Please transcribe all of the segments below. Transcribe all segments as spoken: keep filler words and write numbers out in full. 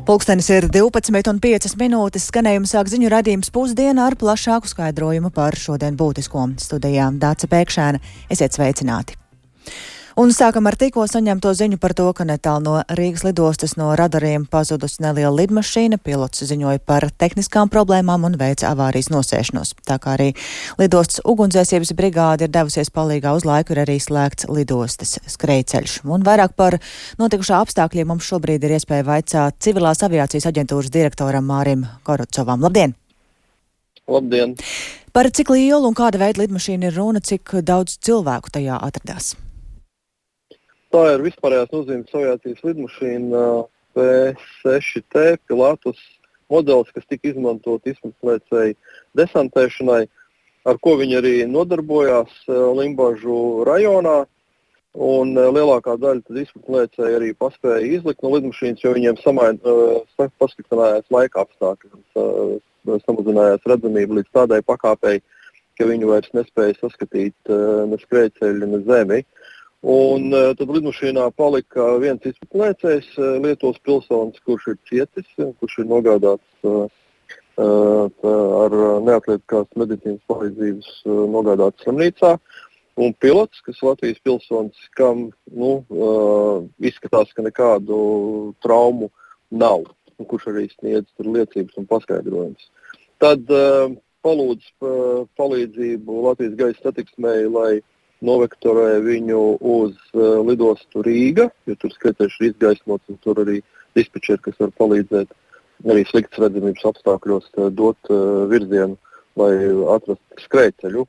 Pulkstenis ir divpadsmit un piecas minūtes, skanējuma sāk ziņu raidījums Pusdiena ar plašāku skaidrojumu par šodien būtisko. Studijā Dāce Pēkšēna. Esiet sveicināti! Un sākam ar tikko saņemto ziņu par to, ka netālu no Rīgas lidostas no radariem pazudusi neliela lidmašīna. Pilots ziņoja par tehniskām problēmām un veica avārijas nosēšanos. Tā kā arī lidostas ugunsdzēsības brigāde ir devusies palīgā uz laiku, ir arī slēgts lidostas skrejceļš. Un vairāk par notikušā apstākļiem mums šobrīd ir iespēja vaicāt Civilās aviācijas aģentūras direktoram Mārim Korotcovam. Labdien! Labdien! Par cik lielu un kāda veida lidmašīna ir runa, cik daudz cilvēku tajā atradās? Tā ir vispārējās nozīmes aviācijas lidmašīna P seši T Pilatus modelis, kas tika izmantot izpildlēcēju desantēšanai, ar ko viņi arī nodarbojās Limbažu rajonā. Un lielākā daļa tad izpildlēcēji arī paspēja izlikt no lidmašīnas, jo viņiem samain, pasliktinājās laika apstākļi. Samazinājās redzamība līdz tādai pakāpei, ka viņi vairs nespēja saskatīt ne skrejceļu, ne zemi. Un uh, tad lidmašīnā palika viens izpildlēcējs, uh, Lietuvas pilsonis, kurš ir cietis, kurš ir nogādāts uh, uh, ar neatliekās medicīnas palīdzības uh, nogādāts slimnīcā. Un pilots, kas Latvijas pilsonis, kam nu, uh, izskatās, ka nekādu traumu nav, un kurš arī sniedz tur liecības un paskaidrojums. Tad uh, palūdz uh, palīdzību Latvijas gaisa satiksmei, lai novektorē viņu uz uh, lidostu Rīga, jo tur skrejceļš ir izgaismots un tur arī dispečeri, kas var palīdzēt arī sliktas redzamības apstākļos uh, dot uh, virzienu, lai atrastu skrejceļu.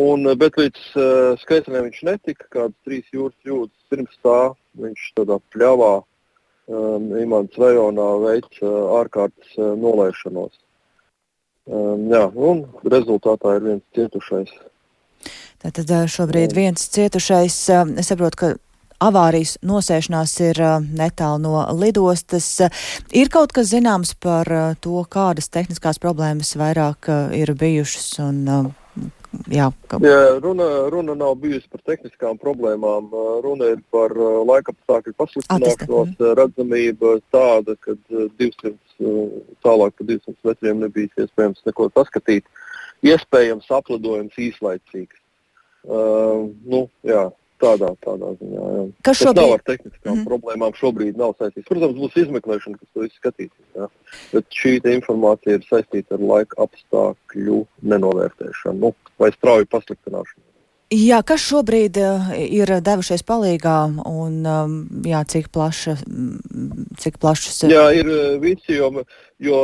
Un, bet līdz uh, skrejceļiem viņš netika, kādas trīs jūras jūdzes pirms tā, viņš tādā pļavā um, Imants rajonā veic uh, ārkārtas uh, nolaišanos. Um, jā, un rezultātā ir viens cietušais. Tātad šobrīd viens cietušais, es saprotu, ka avārijas nosēšanās ir netālu no lidostas. Ir kaut kas zināms par to, kādas tehniskās problēmas vairāk ir bijušas? Un, jā, ka... jā, runa, runa nav bijusi par tehniskām problēmām. Runa ir par laikapstākļu pasliktināšanos, redzamība tāda, ka divsimt, tālāk pa divsimt metriem nebija iespējams neko saskatīt. Iespējams aplidojums īslaicīgs. Uh, nu, jā, tādā, tādā ziņā, jā. Kas šobrīd... Tas nav ar tehniskām mm. problēmām šobrīd nav saistīts. Protams, būs izmeklēšana, kas to izskatīs, jā. Bet šī informācija ir saistīta ar laika apstākļu nenovērtēšanu, nu, vai strauju pasliktināšanu. Jā, kas šobrīd uh, ir devušies palīgā un, um, jā, cik plaša, cik plašas... Jā, ir visi, jo, jo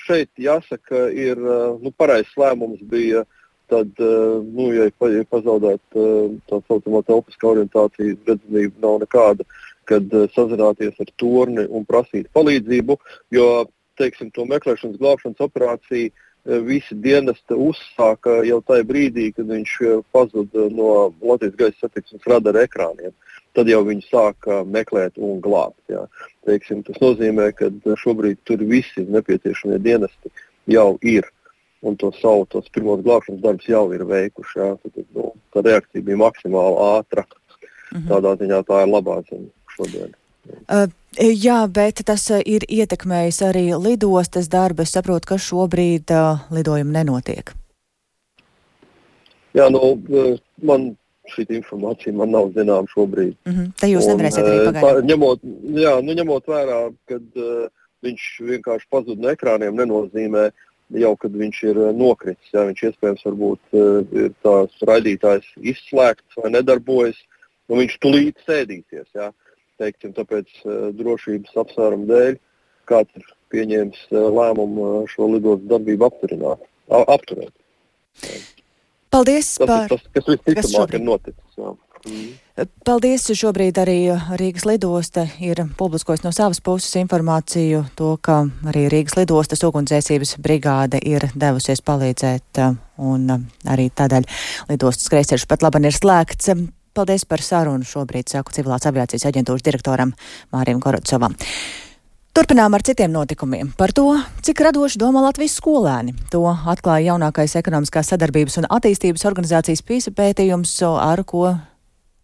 šeit jāsaka, ir, nu, pareizs lēmums bija tad, nu, ja ir pazaudēt tā saucamā telpiskā orientācija, redzamība nav nekāda, kad sazināties ar torni un prasīt palīdzību, jo, teiksim, to meklēšanas glābšanas operāciju visi dienesti uzsāka jau tajā brīdī, kad viņš pazuda no Latvijas gaisa satiksmes radara ekrāniem. Tad jau viņi sāka meklēt un glābt. Jā. Teiksim, tas nozīmē, ka šobrīd tur visi nepieciešamie dienesti jau ir. Un to savu, tos pirmos glābšanas darbus jau ir veikuši. Jā. Tad, nu, tā reakcija bija maksimāli ātra. Mhm. Tādā ziņā tā ir labā ziņa šodien. Uh, jā, bet tas uh, ir ietekmējis arī lidostas darbu. Es saprotu, ka šobrīd uh, lidojumi nenotiek. Jā, nu, man šī informācija man nav zināma šobrīd. Mhm. Te jūs nevarēsiet arī pagaidām. Ņemot, jā, nu, ņemot vērā, kad uh, viņš vienkārši pazud no ekrāniem, nenozīmē jau, kad viņš ir nokritis. Jā, viņš iespējams varbūt ir tās raidītājs izslēgts vai nedarbojas, un viņš tulīt sēdīsies. Jā. Teiksim, tāpēc drošības apsvērumu dēļ kāds ir pieņēmis lēmumu šo lidostu darbību apturināt, apturēt. Jā. Paldies par... Tas, tas, kas visticamāk ir noticis. Jā. Mm. Paldies. Šobrīd arī Rīgas lidosta ir publiskojas no savas puses informāciju to, ka arī Rīgas lidostas ugunsdzēsības brigāde ir devusies palīdzēt un arī tādēļ lidostas skrejceļš pat labi ir slēgts. Paldies par sarunu šobrīd, saku Civilās aviācijas aģentūras direktoram Mārim Korotcovam. Turpinām ar citiem notikumiem. Par to, cik radoši domā Latvijas skolēni. To atklāja jaunākais ekonomiskās sadarbības un attīstības organizācijas PISA pētījums, ar ko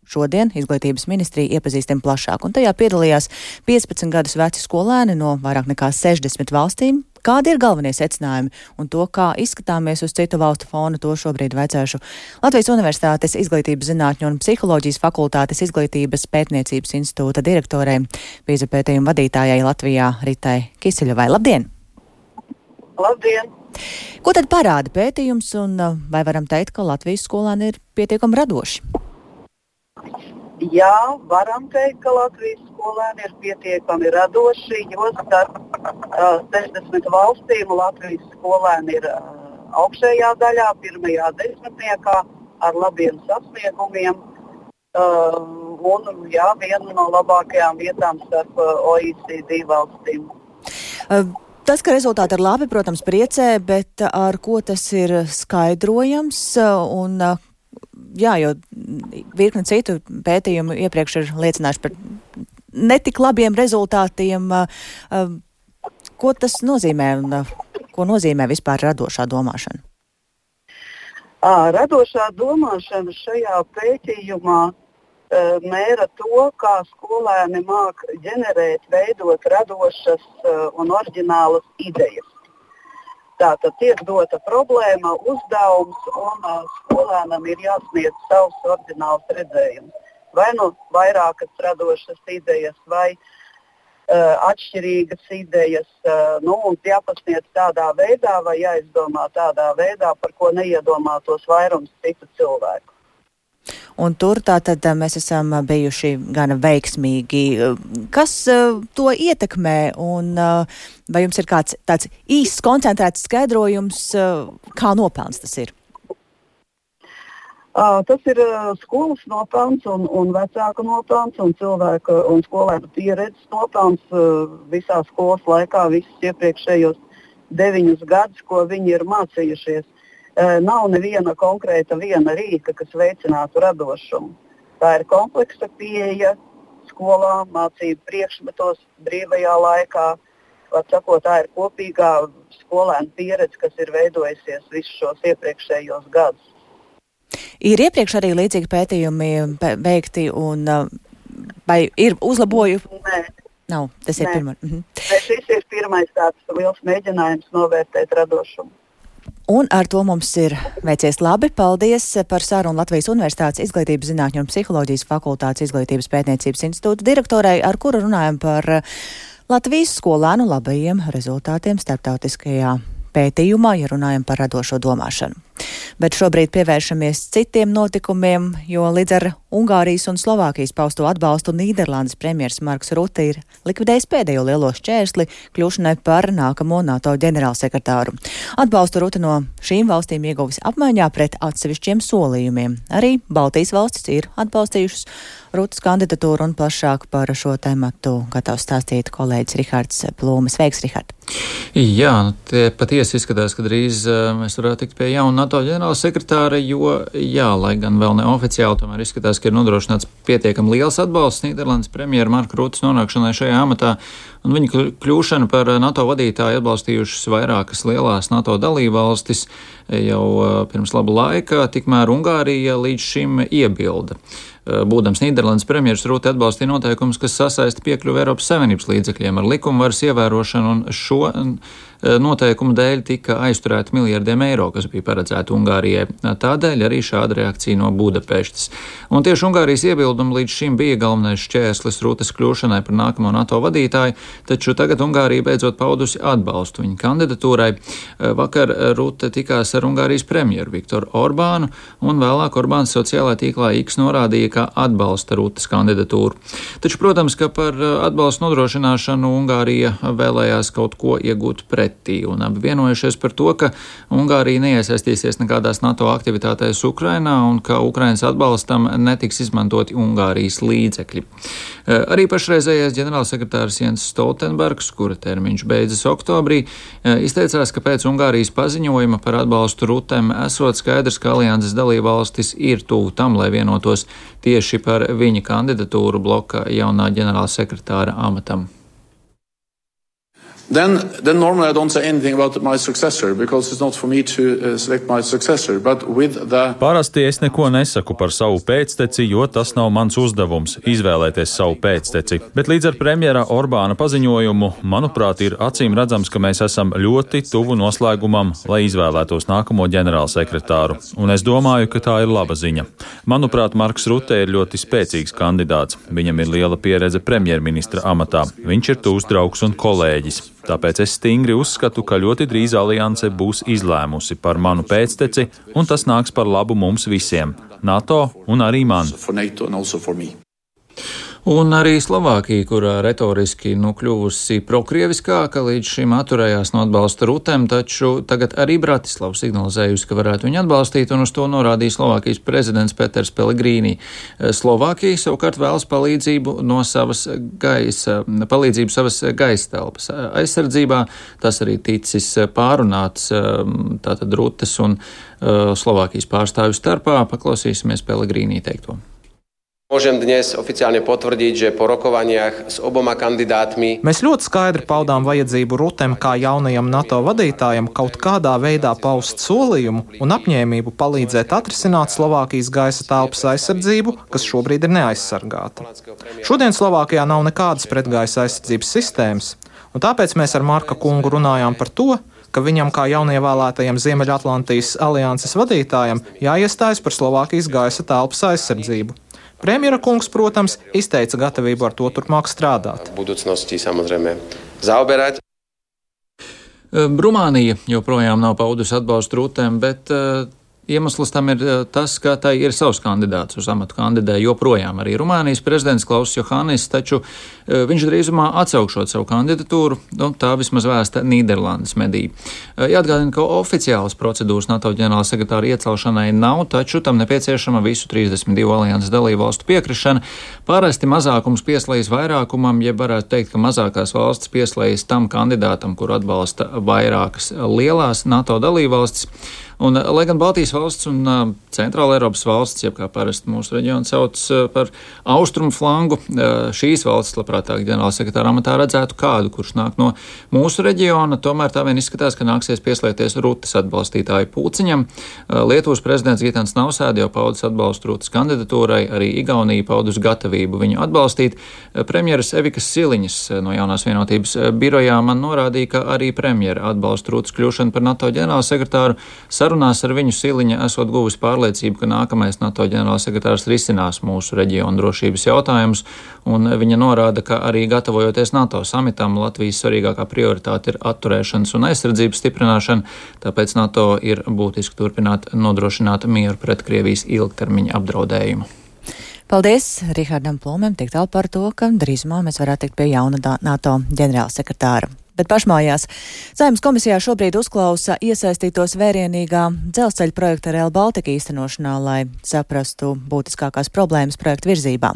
Šodien Izglītības ministrija iepazīstina plašāk, un tajā piedalījās piecpadsmit gadus veci skolēni no vairāk nekā sešdesmit valstīm. Kādi ir galvenie secinājumi un to, kā izskatāmies uz citu valstu fona, to šobrīd vaicāšu Latvijas Universitātes Izglītības zinātņu un psiholoģijas fakultātes Izglītības pētniecības institūta direktorei, PISA pētījuma vadītājai Latvijā Ritai Kisiļovai. Labdien! Labdien! Ko tad parāda pētījums un vai varam teikt, ka Latvijas skolēni ir pietiekami radoši? Jā, varam teikt, ka Latvijas skolēni ir pietiekami radoši, jo starp uh, sešdesmit valstīm Latvijas skolēni ir uh, augšējā daļā, pirmajā desmitniekā ar labiem sasniegumiem. Uh, un jā, viena no labākajām vietām starp uh, O E C D valstīm. Uh. Tas, ka rezultāti ir labi, protams, priecē, bet ar ko tas ir skaidrojams? Un, jā, jo virkne citu pētījumu iepriekš ir liecinājuši par netik labiem rezultātiem. Ko tas nozīmē un ko nozīmē vispār radošā domāšana? Radošā domāšana šajā pētījumā mēra to, kā skolēni māk ģenerēt, veidot radošas uh, un oriģinālas idejas. Tātad tiek dota problēma, uzdevums, un uh, skolēnam ir jāsniedz savs oriģināls redzējums. Vai nu vairākas radošas idejas, vai uh, atšķirīgas idejas, uh, nu, un jāpasniedz tādā veidā, vai jāizdomā tādā veidā, par ko neiedomātos vairums citu cilvēku. Un tur tātad mēs esam bijuši gana veiksmīgi. Kas uh, to ietekmē un uh, vai jums ir kāds tāds īsts koncentrēts skaidrojums, uh, kā nopelns tas ir? Uh, tas ir uh, skolas nopelns un, un vecāku nopelns un cilvēku un skolēnu pieredzes nopelns uh, visā skolas laikā, visus iepriekšējos deviņus gadus, ko viņi ir mācījušies. Nav neviena konkrēta viena rīka, kas veicinātu radošumu. Tā ir kompleksa pieeja skolā, mācību priekšmetos, brīvajā laikā. Var sakot, tā ir kopīgā skolēnu pieredze, kas ir veidojusies visus šos iepriekšējos gadus. Ir iepriekš arī līdzīgi pētījumi veikti un vai ir uzlaboju? Nē. Nav, tas ir pirmais. Mhm. Šis ir pirmais tāds liels mēģinājums novērtēt radošumu. Un ar to mums ir veicies labi. Paldies par sarunu Latvijas Universitātes Izglītības zinātņu un psiholoģijas fakultātes Izglītības pētniecības institūta direktorei, ar kuru runājam par Latvijas skolēnu labajiem rezultātiem starptautiskajā pētījumā, ja runājam par radošo domāšanu. Bet šobrīd pievēršamies citiem notikumiem, jo līdz ar Ungārijas un Slovākijas pausto atbalstu Nīderlandes premjers Marks Rute ir likvidējis pēdējo lielo šķērsli kļūšanai par nākamo NATO ģenerālsekretāru. Atbalstu Rute no šīm valstīm ieguvis apmaiņā pret atsevišķiem solījumiem. Arī Baltijas valstis ir atbalstījušas Rutes kandidatūru un plašāk par šo tematu gatavs stāstīt kolēģis Rihards Plūme. Sveiks, Rihard! Jā, nu, tie patiesi izskatās, ka drīz uh, mēs varētu tikt pie jauna NATO ģenerāla sekretāra, jo, jā, lai gan vēl neoficiāli, tomēr izskatās, ka ir nodrošināts pietiekami liels atbalsts Nīderlandes premjera Marka Rutes nonākšanai šajā amatā, un viņa kļūšana par NATO vadītāju atbalstījušas vairākas lielās NATO dalībvalstis jau uh, pirms laba laika, tikmēr Ungārija līdz šim iebilda. Būdams Nīderlandes premjeras Rute atbalstīja noteikumus, kas sasaista piekļuvi Eiropas Savienības līdzekļiem ar likumvaras ievērošanu, un šo noteikumu dēļ tika aizturēti miljardiem eiro, kas bija paredzēti Ungārijai. Tādēļ arī šāda reakcija no Budapeštas. Un tieši Ungārijas iebildumi līdz šim bija galvenais šķērslis Rutes kļūšanai par nākamo NATO vadītāju, taču tagad Ungārija beidzot paudusi atbalstu viņa kandidatūrai. Vakar Rute tikās ar Ungārijas premjeru Viktoru Orbānu, un vēlāk Orbāns sociālajā tīklā X norādīja, ka atbalsta Rutes kandidatūru. Taču, protams, ka par atbalstu nodrošināšanu Ungārija vēlējās kaut ko iegūt pretī, un abi vienojušies par to, ka Ungārija neiesaistīsies nekādās NATO aktivitātēs Ukrainā un ka Ukrainas atbalstam netiks izmantoti Ungārijas līdzekļi. Arī pašreizējais ģenerālsekretārs Jens Stoltenbergs, kura termiņš beidzas oktobrī, izteicās, ka pēc Ungārijas paziņojuma par atbalstu Rutem esot skaidrs, ka alianses dalībvalstis ir tuvu tam, lai vienotos tieši par viņa kandidatūru bloka jaunā ģenerālsekretāra amatam. Then, then normally I don't say anything about my successor because it's not for me to uh, select my successor. But with the... Parasti es neko nesaku par savu pēcteci, jo tas nav mans uzdevums izvēlēties savu pēcteci. Bet līdz ar premjera Orbāna paziņojumu, manuprāt, ir acīm redzams, ka mēs esam ļoti tuvu noslēgumam, lai izvēlētos nākamo ģenerālsekretāru. Un es domāju, ka tā ir laba ziņa. Manuprāt, Marks Rute ir ļoti spēcīgs kandidāts. Viņam ir liela pieredze premjerministra amatā. Viņš ir tūs draugs un kolēģis. Tāpēc es stingri uzskatu, ka ļoti drīz alianse būs izlēmusi par manu pēcteci, un tas nāks par labu mums visiem, NATO un arī man. Un arī Slovākija, kurā retoriski nu kļuvusi prokrieviskāka, līdz šim atturējās no atbalsta Rutem, taču tagad arī Bratislava signalizējusi, ka varētu viņu atbalstīt, un uz to norādīja Slovākijas prezidents Peters Pellegrīni. Slovākija savukārt vēlas palīdzību no savas gaisa, palīdzību savas gaisa telpas aizsardzībā. Tas arī ticis pārunāts tātad Rutes un Slovākijas pārstāvju starpā. Paklausīsimies Pellegrīni teikto. Môžem dnes oficiálne potvrdiť, že po rokovaniach s oboma kandidátmi Mēs ļoti skaidri paudām vajadzību Rutem kā jaunajam NATO vadītājam kaut kādā veidā paust solījumu un apņēmību palīdzēt atrisināt Slovākijas gaisa telpas aizsardzību, kas šobrīd ir neaizsargāta. Šodien Slovākijā nav nekādas pretgaisa aizsardzības sistēmas, un tāpēc mēs ar Marka kungu runājām par to, ka viņam kā jaunievēlētajam Ziemeļatlantijas alianses vadītājam jāiestājas par Slovākijas gaisa telpas aizsardzību. Premjera kungs, protams, izteica gatavību ar to turpmāk strādāt. Budúcnosti samozrejme zaoberať. Rumānija joprojām nav paudusi atbalstu Rutēm, bet uh, iemesls tam ir tas, ka tai ir savs kandidāts uz amatu kandidē joprojām arī Rumānijas prezidents Klauss Johannis, taču uh, viņš drīzumā atsaukšot savu kandidatūru, un tā vismaz vēsta Nīderlandes mediji. Uh, jāatgādina, ka oficiālas procedūras NATO ģenerālsekretāra iecelšanai nav, taču tam nepieciešama visu trīsdesmit divu alianses dalību valstu piekrišana. Parasti mazākums pieslējas vairākumam, ja varētu teikt, ka mazākās valstis pieslējas tam kandidātam, kur atbalsta vairākas lielās NATO dalību valstis. Un, lai gan Baltijas valsts un uh, Centrāla Eiropas valsts, jeb kā parasti mūsu reģionu sauc uh, par austrumu flangu, uh, šīs valsts labprātāk ģenerālsekretāra amatā redzētu kādu, kurš nāk no mūsu reģiona, tomēr tā vien izskatās, ka nāksies pieslēgties Rutes atbalstītāju pulciņam. Uh, Lietuvas prezidents Gitans Nausēda jau paudis atbalstu Rutes kandidatūrai, arī Igaunija paudus gatavību viņu atbalstīt. Uh, premjeras Evikas Siliņas uh, no Jaunās vienotības uh, birojā man norādīja, ka arī premjera atbalsta Rutes kļūšanu par NATO ģenerālsekretāru. Sarunās ar viņu Siliņa esot guvusi pārliecību, ka nākamais NATO ģenerālsekretārs risinās mūsu reģionu drošības jautājumus, un viņa norāda, ka arī gatavojoties NATO samitam, Latvijas svarīgākā prioritāte ir atturēšanas un aizsardzības stiprināšana, tāpēc NATO ir būtiski turpināt nodrošināt mieru pret Krievijas ilgtermiņa apdraudējumu. Paldies Rihardam Plūmēm tik tālu par to, ka drīzumā mēs varētu tikt pie jauna NATO ģenerālsekretāra. Bet pašmājās Saeimas komisijā šobrīd uzklausa iesaistītos vērienīgā dzelzceļa projekta Rail Baltica īstenošanā, lai saprastu būtiskākās problēmas projekta virzībā.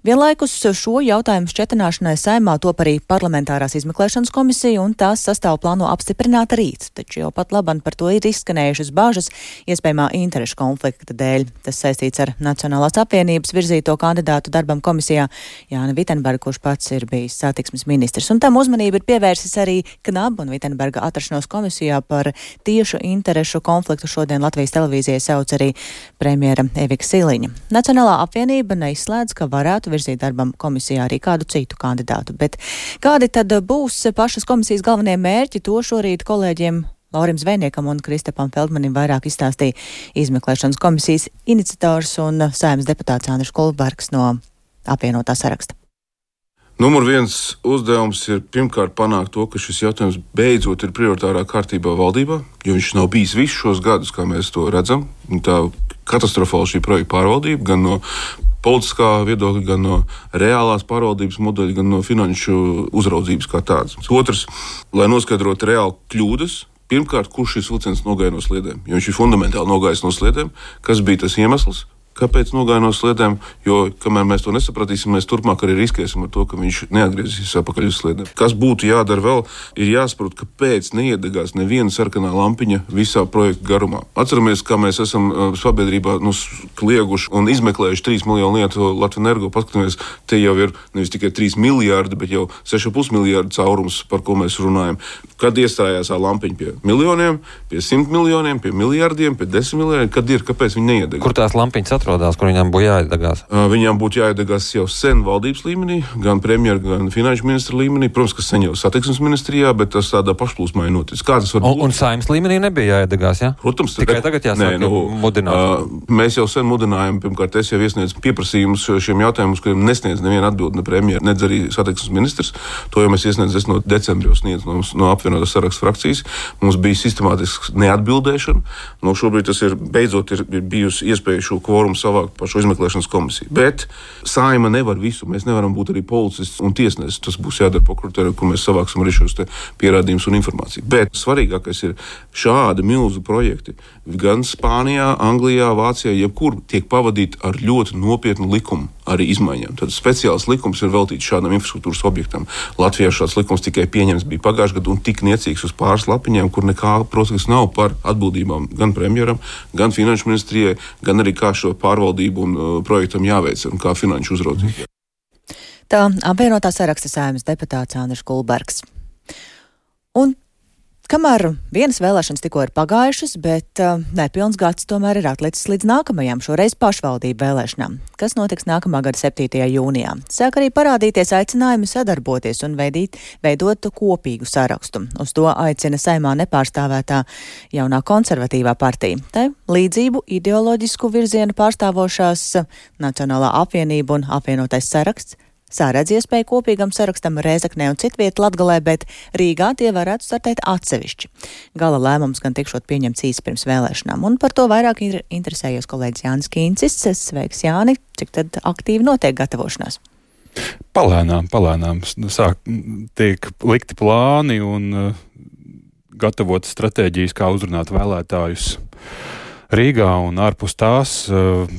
Vienlaikus šo jautājumu šķetināšanai Saeimā top arī parlamentārās izmeklēšanas komisija, un tās sastāvu plāno apstiprināt rīt, taču jau pat laban par to ir izskanējušas bāžas iespējamā interešu konflikta dēļ. Tas saistīts ar Nacionālās apvienības virzīto kandidātu darbam komisijā Jāni Vitenbergu, kurš pats ir bijis satiksmes ministrs, un tam uzmanību ir pievērsis arī Knaba un Vitenberga atrašanos komisijā par tiešu interešu konfliktu. Šodien Latvijas televīzijai sauc arī premjera Evika Siliņa. Nacionālā apvienība neizslēdz, ka varētu virzīt darbam komisijā arī kādu citu kandidātu. Bet kādi tad būs pašas komisijas galvenie mērķi, to šorīt kolēģiem Laurim Zvejniekam un Kristapam Feldmanim vairāk izstāstīja izmeklēšanas komisijas iniciators un Saeimas deputāts Andris Kulbergs no apvienotā saraksta. Numur viens uzdevums ir pirmkārt panākt to, ka šis jautājums beidzot ir prioritārā kārtībā valdībā, jo viņš nav bijis visus šos gadus, kā mēs to redzam. Tā katastrofāla šī projekta pārvaldība, gan no politiskā viedokļa, gan no reālās pārvaldības modeļa, gan no finanšu uzraudzības kā tādas. Otrs, lai noskaidrotu reāli kļūdas, pirmkārt, kurš šis vilciens nogāja no sliedēm, jo viņš ir fundamentāli nogājis no sliedēm, kas bija tas iemesls, kāpēc nogāja no sliedēm, jo, kamēr mēs to nesapratīsim, mēs turpmāk arī riskēsim ar to, ka viņš neatgriezīsies atpakaļ uz sliedēm. Kas būtu jādara vēl, ir jāsaprot, kāpēc neiedegās neviena sarkanā lampiņa visā projekta garumā. Atceramies, kā mēs esam uh, sabiedrībā nu, klieguši un izmeklējuši trīs miljonu lietu Latvenergo. Paskatāmies, te jau ir nevis tikai trīs miljārdi, bet jau seši komats pieci miljārdi caurums, par ko mēs runājam. Kad iestājās tā lampiņa pie miljoniem, pie simt miljoniem, pie miljārdiem, pie desmit miljardiem, kad ir, kāpēc viņi neiedegās? Kur tās lampiņas atrodās, kur viņām būtu jāiedegās? Uh, viņām būtu jāiedegās jau sen valdības līmenī, gan premjera, gan finanšu ministra līmenī. Protams, ka sen jau satiksmes ministrijā, bet tas tādā pašplūsmā ir noticis. Kā tas var būt? Un, un Saeimas līmenī nebija jāiedegās, jā? Ja? Protams, tikai tagad, tagad jāsāk nē, nu, mudināt. Uh, mēs jau sen mudinājām, pirmkārt, es jau iesniedzu pieprasījumus šiem jautājumiem, kuriem nesniedz neviena atbildi, ne premjera, nedz arī satiksmes ministrs. To jau mēs iesniedzam no decembra sniedz no, no apvienotās sarakstu frakcijas. Mums bija sistemātiska neatbildēšana. No šobrīd tas ir beidzot ir, ir bijusi iespēja šo kvorumu savākt par šo izmeklēšanas komisiju. Bet Saeima nevar visu. Mēs nevaram būt arī policists un tiesnesis. Tas būs jādara prokuratūrai, kur mēs savāksim arī šos te pierādījumus un informāciju. Bet svarīgākais ir šādi milzu projekti. Gan Spānijā, Anglijā, Vācijā, jebkur tiek pavadīti ar ļoti nopietnu likumu arī izmaiņām. Tad speciāls likums ir veltīts šādam infrastruktūras objektam. Latvijā šāds likums tikai pieņems bija pagājušajā gadā un tik niecīgs uz pāris lapiņām, kur nekā, protams, nav par atbildībām gan premjeram, gan finanšu ministrijai, gan arī kā šo pārvaldību un uh, projektam jāveic un kā finanšu uzraudzību. Tā apvienotā saraksta Saeimas deputāts Andris Kulbergs. Un kamēr vienas vēlēšanas tikko ir pagājušas, bet uh, nepilns gads tomēr ir atlicis līdz nākamajām, šoreiz pašvaldību vēlēšanām. Kas notiks nākamā gada septītajā jūnijā? Sāk arī parādīties aicinājumi sadarboties un veidīt, veidot kopīgu sarakstu. Uz to aicina Saeimā nepārstāvētā jaunā konservatīvā partija. Te līdzību ideoloģisku virzienu pārstāvošās Nacionālā apvienība un apvienotais saraksts sāredz iespēju kopīgam sarakstam Rēzeknē un citviet Latgalē, bet Rīgā tie varētu startēt atsevišķi. Gala lēmums gan tikšot pieņemts īsi pirms vēlēšanām, un par to vairāk ir interesējies kolēģis Jānis Kīncis. Sveiks, Jāni! Cik tad aktīvi notiek gatavošanās? Palēnām, palēnām. Sāk, tiek likti plāni un uh, gatavot stratēģijas, kā uzrunāt vēlētājus Rīgā un ārpus tās,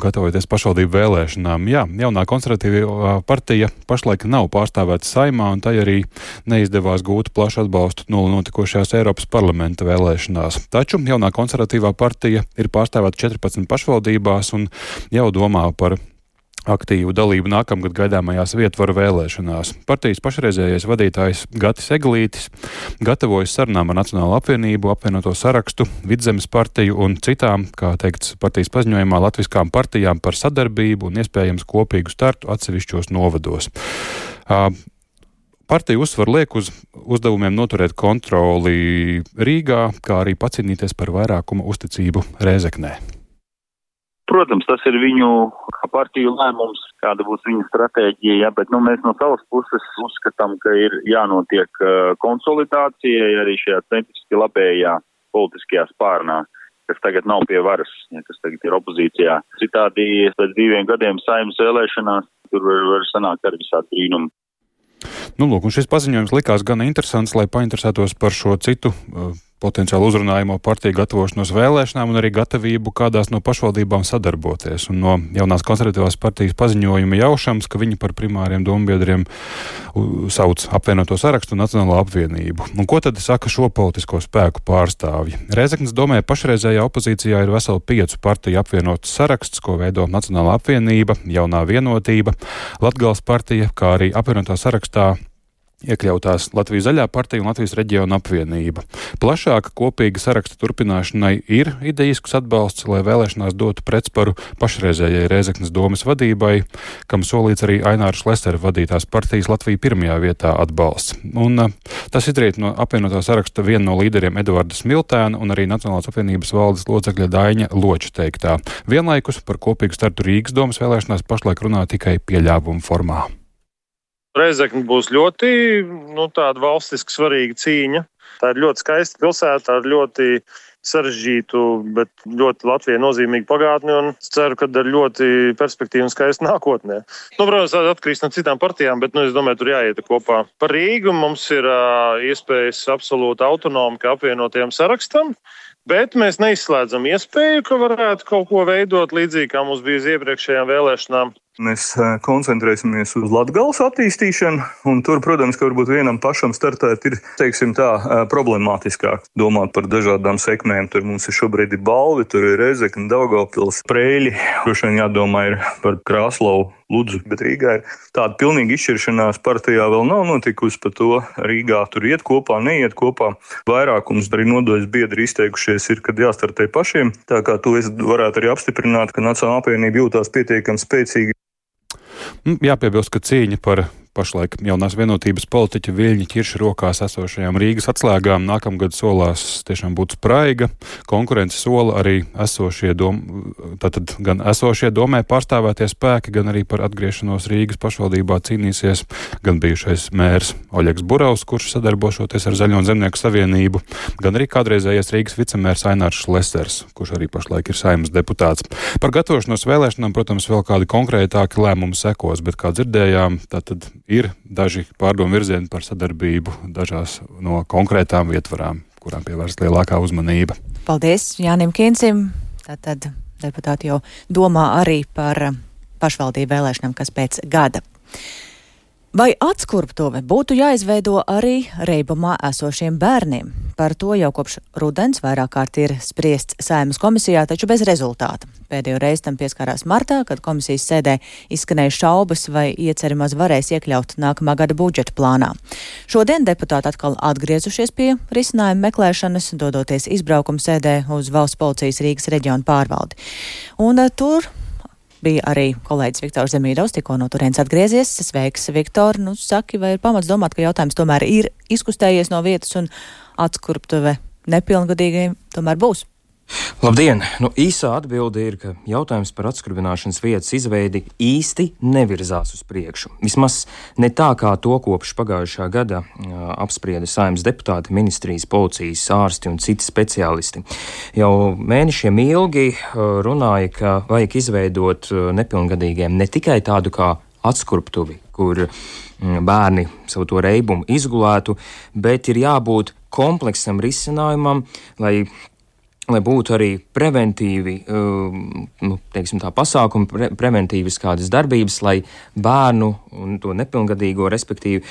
gatavoties pašvaldību vēlēšanām. Jā, jaunā konservatīvā partija pašlaik nav pārstāvēta Saeimā, un tai arī neizdevās gūt plašu atbalstu notikošajās Eiropas parlamenta vēlēšanās. Taču jaunā konservatīvā partija ir pārstāvēta četrpadsmit pašvaldībās un jau domā par aktīvu dalību nākamgad gaidāmajās vietvaru vēlēšanās. Partijas pašreizējais vadītājs Gatis Eglītis gatavojas sarunām ar Nacionālo apvienību, apvienoto sarakstu, Vidzemes partiju un citām, kā teikts partijas paziņojumā, latviskām partijām par sadarbību un iespējams kopīgu startu atsevišķos novados. Uh, Partija uzsver liek uz uzdevumiem noturēt kontroli Rīgā, kā arī pacīnīties par vairākuma uzticību Rēzeknē. Protams, tas ir viņu partiju lēmums, kāda būs viņa stratēģija, ja, bet nu, mēs no savas puses uzskatām, ka ir jānotiek uh, konsolidācijai arī šajā centriski labējā politiskajā spārnā, kas tagad nav pie varas, ja, kas tagad ir opozīcijā. Citādi pēc diviem gadiem Saeimas vēlēšanās tur var, var sanākt arī visādi brīnumi. Nu, lūk, un šis paziņojums likās gan interesants, lai painteresētos par šo citu uh, potenciāli uzrunājumo partiju gatavošanos vēlēšanām un arī gatavību kādās no pašvaldībām sadarboties. Un no jaunās konservatīvās partijas paziņojuma jaušams, ka viņi par primāriem dombiedriem sauc apvienoto sarakstu un Nacionālo apvienību. Un ko tad saka šo politisko spēku pārstāvji? Rēzeknes domē pašreizējā opozīcijā ir veseli piecu partiju apvienots saraksts, ko veido Nacionālā apvienība, Jaunā vienotība, Latgales partija, kā arī apvienotā sarakstā iekļautās Latvijas zaļā partija un Latvijas reģiona apvienība. Plašāka kopīga saraksta turpināšanai ir idejisks atbalsts, lai vēlēšanās dotu pretsparu pašreizējai Rēzeknes domes vadībai, kam solīts arī Aināra Šlesera vadītās partijas Latvija pirmajā vietā atbalsts. Un tas izriet no apvienotā saraksta viena no līderiem Eduarda Smiltēna un arī Nacionālās apvienības valdes locekļa Daiņa Loča teiktā. Vienlaikus par kopīgu startu Rīgas domes vēlēšanās pašlaik runā tikai pieļāvuma formā. Rēzekne būs ļoti nu, tāda valstiski svarīga cīņa. Tā ir ļoti skaista pilsēta ar ļoti sarežģītu, bet ļoti Latvijai nozīmīgu pagātni un ceru, ka ar ļoti perspektīvu un skaistu nākotnē. Nu, protams, tā atkarīgs no citām partijām, bet nu, es domāju, tur jāiet kopā. Par Rīgu mums ir uh, iespējas absolūti autonomi kā apvienotajam sarakstam. Bet mēs neizslēdzam iespēju, ka varētu kaut ko veidot līdzīgi, kā mums bija uz iepriekšējām vēlēšanām. Mēs koncentrēsimies uz Latgales attīstīšanu, un tur, protams, ka varbūt vienam pašam startēt ir, teiksim tā, problemātiskāk domāt par dažādām sekmēm. Tur mums ir šobrīd ir Balvi, tur ir Rezekne, Daugavpils, Preļi, droši vien jādomā ir par Krāslavu, Ludzu, bet Rīgā ir tāda pilnīga izšķiršanās partijā vēl nav notikusi par to. Rīgā tur iet kopā, neiet kopā. Vairākums arī nodaļas biedri izteikušies ir, kad jāstartē pašiem. Tā kā to es varētu arī apstiprināt, ka Nacionālā apvienība jūtās pietiekami spēcīgi. Jāpiebilst, ka cīņa par pašlaik jaunās vienotības politiķa Viļņa Ķirša rokās esošajām Rīgas atslēgām nākamgad solās tiešām būt spraiga. Konkurence sola arī esošie dom, tātad gan esošie domē pārstāvētie spēki, gan arī par atgriešanos Rīgas pašvaldībā cīnīsies gan bijušais mērs Oļegs Buravs, kurš sadarbošoties ar Zaļo un Zemnieku savienību, gan arī kādreizējais Rīgas vicemērs Ainārs Šlesers, kurš arī pašlaik ir Saeimas deputāts. Par gatavošanos vēlēšanām, protams, vēl kādi konkrētāki lēmumi sekos, bet kā dzirdējām, tātad ir daži pārdomu virzieni par sadarbību dažās no konkrētām vietvarām, kurām pievērst lielākā uzmanība. Paldies Jānim Kīncim. Tātad deputāti jau domā arī par pašvaldību vēlēšanām, kas pēc gada. Vai atskurptuve būtu jāizveido arī Reibumā esošiem bērniem? Par to jau kopš rudens vairāk kārt ir spriests Saeimas komisijā, taču bez rezultāta. Pēdējo reizi tam pieskārās martā, kad komisijas sēdē izskanēja šaubas, vai ieceri maz varēs iekļaut nākamā gada budžeta plānā. Šodien deputāti atkal atgriezušies pie risinājuma meklēšanas, dodoties izbraukuma sēdē uz Valsts policijas Rīgas reģionu pārvaldi. Un uh, tur bija arī kolēģis Viktors Zemīdovs, tikko no turienes atgriezies. Sveiks, Viktor. Nu, saki, vai ir pamats domāt, ka jautājums tomēr ir izkustējies no vietas un atskurptuve nepilngadīgajiem tomēr būs? Labdien! Nu, īsā atbilde ir, ka jautājums par atskurbināšanas vietas izveidi īsti nevirzās uz priekšu. Vismaz ne tā, kā to kopš pagājušā gada uh, apsprieda Saeimas deputāti, ministrijas, policijas, ārsti un citi speciālisti. Jau mēnešiem ilgi uh, runāja, ka vajag izveidot uh, nepilngadīgiem ne tikai tādu kā atskurptuvi, kur mm, bērni savu to reibumu izgulētu, bet ir jābūt kompleksam risinājumam, lai lai būtu arī preventīvi, nu, teiksim tā, pasākumi, pre, preventīvas kādas darbības, lai bērnu un to nepilngadīgo, respektīvi,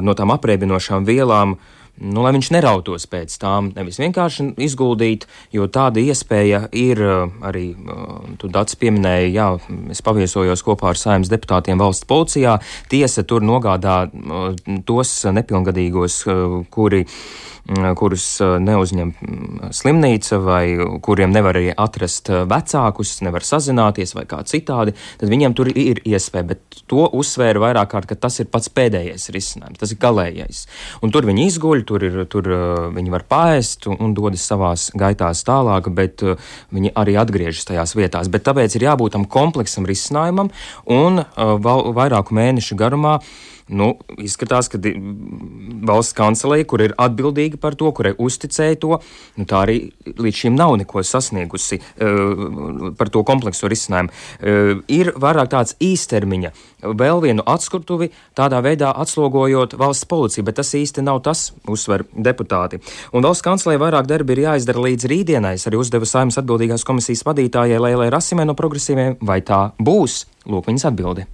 no tām apreibinošām vielām, nu, lai viņš nerautos pēc tām, nevis vienkārši izguldīt, jo tāda iespēja ir arī, tu Dats pieminēja, jā, es paviesojos kopā ar Saeimas deputātiem valsts policijā, tiesa tur nogādā tos nepilngadīgos, kuri kurus neuzņem slimnīca vai kuriem nevar arī atrast vecākus, nevar sazināties vai kā citādi, tad viņiem tur ir iespēja, bet to uzsvēra vairāk kārt, ka tas ir pats pēdējais risinājums, tas ir galējais. Un tur viņi izguļ, tur, ir, tur viņi var paēst un, un dodas savās gaitās tālāk, bet viņi arī atgriežas tajās vietās. Bet tāpēc ir jābūt tam kompleksam risinājumam un uh, vairāku mēnešu garumā. Nu, izskatās, ka valsts kancelēja, kur ir atbildīga par to, kurai uzticēja to, nu, tā arī līdz šim nav neko sasniegusi uh, par to komplekso risinājumu. Uh, ir vairāk tāds īstermiņa, vēl vienu atskurtuvi, tādā veidā atslogojot valsts policiju, bet tas īsti nav tas, uzsver deputāti. Un valsts kancelēja vairāk darbi ir jāizdara līdz rītdienai. Es arī uzdevu Saeimas atbildīgās komisijas vadītājai Leilai Rasimai no Progresīviem, vai tā būs? Lūk viņas atbildi.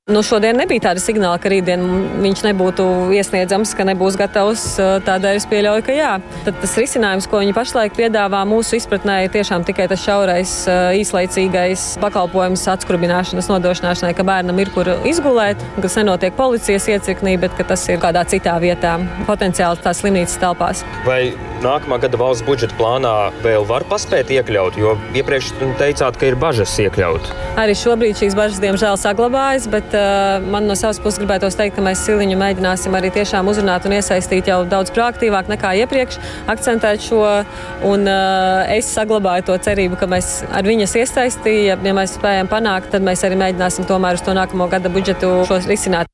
Nu, šodien nebija tāda signāla, ka rītdien viņš nebūtu iesniedzams, ka nebūs gatavs, tādēļ es pieļauju, ka jā. Tad tas risinājums, ko viņi pašlaik piedāvā mūsu izpratnē, ir tiešām tikai tas šaurais, īslaicīgais pakalpojums atskurbināšanas nodrošināšanai, ka bērnam ir kur izgulēt, kas nenotiek policijas iecirknī, bet ka tas ir kādā citā vietā, potenciāli tās slimnīcas telpās. Vai nākamā gada valsts budžeta plānā vēl var paspēt iekļaut, jo iepriekš teicāt, ka ir bažas iekļaut? Arī šobrīd šīs bažas, diemžēl, saglabājas, bet man no savas puses gribētos teikt, ka mēs Siliņu mēģināsim arī tiešām uzrunāt un iesaistīt jau daudz proaktīvāk nekā iepriekš, akcentēt šo, un uh, es saglabāju to cerību, ka mēs ar viņas iesaisti, ja, ja mēs spējam panākt, tad mēs arī mēģināsim tomēr uz to nākamo gada budžetu šos risināt.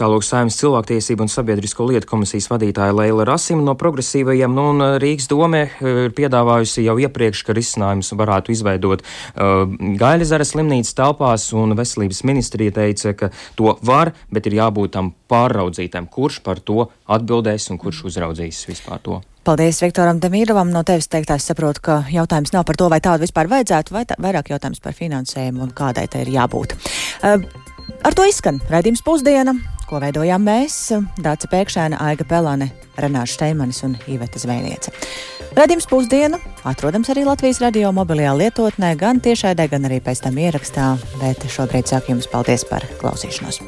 Tālūk Saeimas cilvēktiesību un sabiedrisko lietu komisijas vadītāja Leila Rasima no Progresīvajiem, nu, un Rīgas dome ir piedāvājusi jau iepriekš, ka risinājums varētu izveidot uh, Gaiļezera slimnīcas telpās, un veselības ministrija teica, ka to var, bet ir jābūt tam pārraudzītam, kurš par to atbildēs un kurš uzraudzīs vispār to. Paldies Viktoram Demīrovam. No tevis teiktā es saprotu, ka jautājums nav par to, vai tādu vispār vajadzētu, vai tā, vairāk jautājums par finansējumu un kādai tai ir jābūt. Uh, ar to izskan raidījums Pusdiena, ko veidojām mēs, Dāca Pēkšēna, Aiga Pelane, Renārs Šteimanis un Iveta Zvejniece. Raidījums Pusdiena atrodams arī Latvijas radio mobilajā lietotnē, gan tiešraidē, gan arī pēc tam ierakstā, bet šobrīd saku jums paldies par klausīšanos.